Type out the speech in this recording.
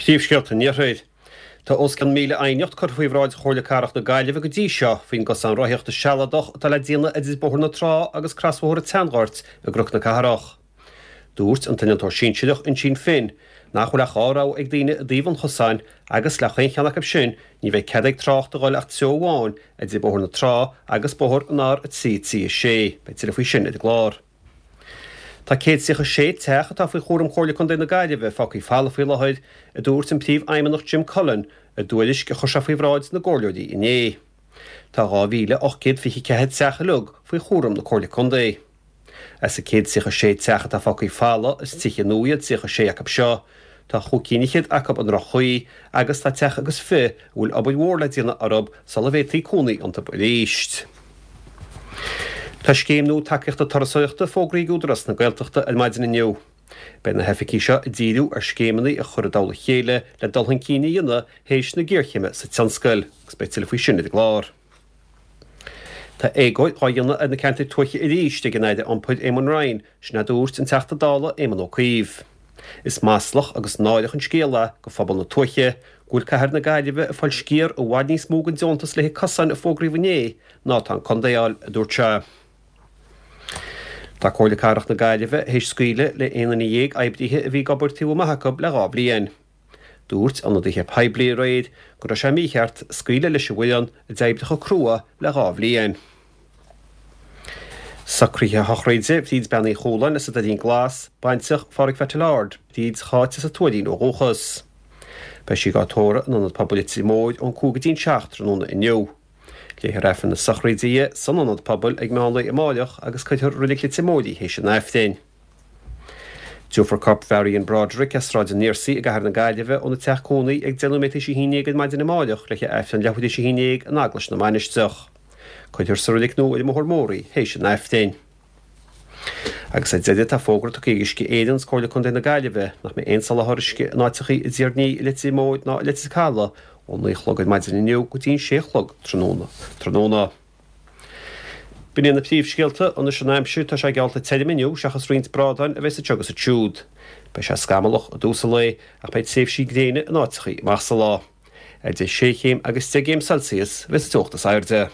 Príomhscéalta an Iarthair. Tá os cionn 1,000 aighneacht curtha faoi bhráid Chomhairle Cathrach na Gaillimhe go dtí seo faoin gcosán rothaíochta sealadach atá le déanamh idir Bóthar na Trá agus crosbhóthar an tSeanghoirt i gCnoc na Cathrach. Dúirt an t-innealtóir sinsearach Uinsíonn Finn nach bhfuil ach 2 rogha ag daoine i dtaobh an chosáin agus le chaon cheann acu sin ní bheidh cead ag trácht a dhul ach treo amháin idir Bóthar na Trá agus Bóthar an R3 3 6. Beidh tuilleadh faoi sin ar an gclár. Tá 136 teach atá faoi chúram Chomhairle Contae na Gaillimhe fágtha folamh faoi láthair, a dúirt an Príomhfheidhmeannach Jim Cullen i dtuairisc a chuir sé faoi bhráid na gcomhairleoirí inné. Tá 2,824 teach uilig faoi chúram na Comhairle Contae. As an 136 teach atá fágtha folamh, is tithe nua iad 36 acu seo. Tá chúig cinn fhichead acu i ndroch-chaoi agus tá teach agus fi' a bhfuil obair mhór le déanamh orthu sula bhféadfaí cónaí iontu arís. Tá scéim nua tacaíochta turasóireachta fógraithe ag Údarás na Gaeltachta ar maidin inniu. Beidh na hoifigigh seo ag díriú ar scéimeanna a chur i dtoll a chéile le dul chun cinn a dhéanamh théis na géarchéime sa tionscal, agus beidh tuilleadh faoi sin ar an gclár. Tá éagóir dhá dhéanamh ar na ceantair tuaithe arís ag an Aire Iompair Eamon Ryan, sin a dúirt an Teachta Dála Éamon Ó Cuív. Is maslach agus náireach an scéal é go phobal na tuaithe go bhfuil cathair na Gaillimhe ag fáil sciar i bhfad níos mó den deontas le haghaidh cosáin a fógraíodh inné ná atá an contae a fháil, a dúirt sé. Tá Comhairle Cathrach na Gaillimhe théis scaoileadh le 11 duine oibrithe a bhí ag obair taobh amuigh acu le 2 bhliain. Dúirt ionadaithe poiblí aréir go raibh sé mícheart scaoileadh leis an bhfoireann a d'oibrigh chomh crua le 2 bhliain. Socruithe sochraide Bhríd Bean Uí Chualáin as an Doirín Glas, baintreach Phádraig Pheaitil Ard, Bríd Cháit as an Tuairín ó dhúchas. Beidh sí á tórramh in Ionad Pobail Leitir Móir ón 5 go dtí'n 7 tráthnóna inniu. Léifear Aifreann na sochraide di san Ionad Pobail ag meán lae amáireach agus cuirfear i Reilig Leitir Móir í théis an Aifrinn. Tabharfar corp Mharion Broderick as Sráid an Fhiarsaigh i gcathair na Gaillimhe óna teach cónaí ag 10 nóiméad théis a haon dhéag ar maidin amáireach le haghaidh Aifreann leathuair théis a haon dhéag in Eaglais na Mainistreach. Cuirfear sa reilig nua ar an mBóthar Mór í théis an Aifrinn. Agus ar deireadh tá fógra tugtha ag Uisce Éireann agus Comhairle Contae na Gaillimhe nach mbeidh aon soláthar uisce in áiteachaí i dTír an Fhia, i Leitir Móir ná i Leitir Caladh ó 9 a chlog ar maidin inniu go dtí an 6 a chlog tráthnóna. B'in iad na príomhscéalta. Anois an aimsir, tá sé geallta tirim inniu seachas roinnt brádáin a bheas anseo agus ansiúd. Beidh sé scamallach i dtús an lae ach beidh tréimhsí gréine in áiteachaí amach sa lá. Idir 6 chéim agus 10 gcéim Celsius a bheas an teocht is airde.